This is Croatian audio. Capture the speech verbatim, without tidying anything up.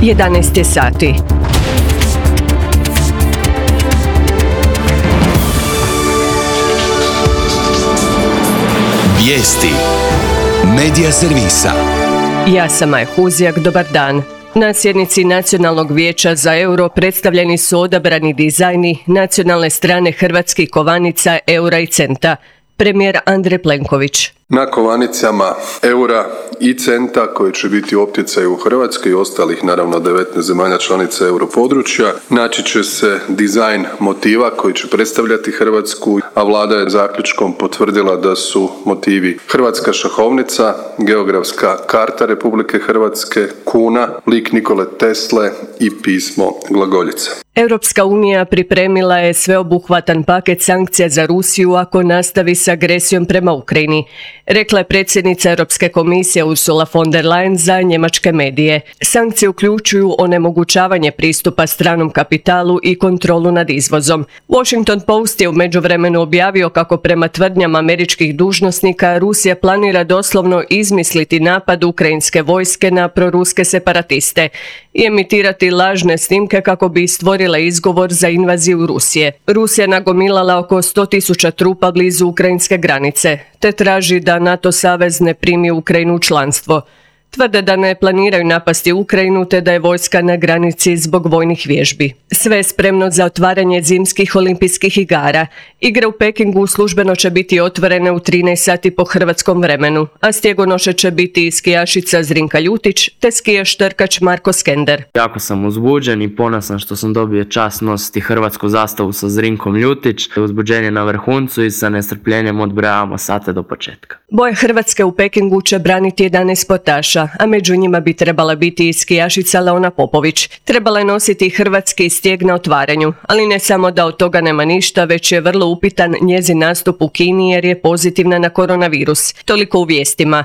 jedanaest je sati. Vijesti Medija servisa. Ja sam Maja Huzjak, dobar dan. Na sjednici Nacionalnog vijeća za euro predstavljeni su odabrani dizajni nacionalne strane hrvatskih kovanica, eura i centa. Premijer Andrej Plenković. Na kovanicama eura i centa koji će biti u opticaju u Hrvatskoj i ostalih naravno devetnaest zemalja članica europodručja naći će se dizajn motiva koji će predstavljati Hrvatsku, a vlada je zaključkom potvrdila da su motivi hrvatska šahovnica, geografska karta Republike Hrvatske, kuna, lik Nikole Tesle i pismo glagoljica. Europska unija pripremila je sveobuhvatan paket sankcija za Rusiju ako nastavi s agresijom prema Ukrajini, rekla je predsjednica Europske komisije Ursula von der Leyen za njemačke medije. Sankcije uključuju onemogućavanje pristupa stranom kapitalu i kontrolu nad izvozom. Washington Post je u međuvremenu objavio kako prema tvrdnjama američkih dužnosnika Rusija planira doslovno izmisliti napad ukrajinske vojske na proruske separatiste i emitirati lažne snimke kako bi stvorila izgovor za invaziju Rusije. Rusija nagomilala oko sto tisuća trupa blizu ukrajinske granice, te traži da NATO savez ne primi Ukrajinu u članstvo. Tvrde da ne planiraju napasti Ukrajinu te da je vojska na granici zbog vojnih vježbi. Sve je spremno za otvaranje zimskih olimpijskih igara. Igre u Pekingu službeno će biti otvorene u trinaest sati po hrvatskom vremenu, a stjegonoše će biti skijašica Zrinka Ljutić te skijaš trkač Marko Skender. Jako sam uzbuđen i ponosan što sam dobio čast nositi hrvatsku zastavu sa Zrinkom Ljutić. Uzbuđenje na vrhuncu i sa nestrpljenjem odbrojavamo sate do početka. Boje Hrvatske u Pekingu će braniti jedanaest sportaša, a među njima bi trebala biti i skijašica Leona Popović. Trebala je nositi hrvatski stijeg na otvaranju, ali ne samo da od toga nema ništa, već je vrlo upitan njezin nastup u Kini jer je pozitivna na koronavirus. Toliko u vijestima.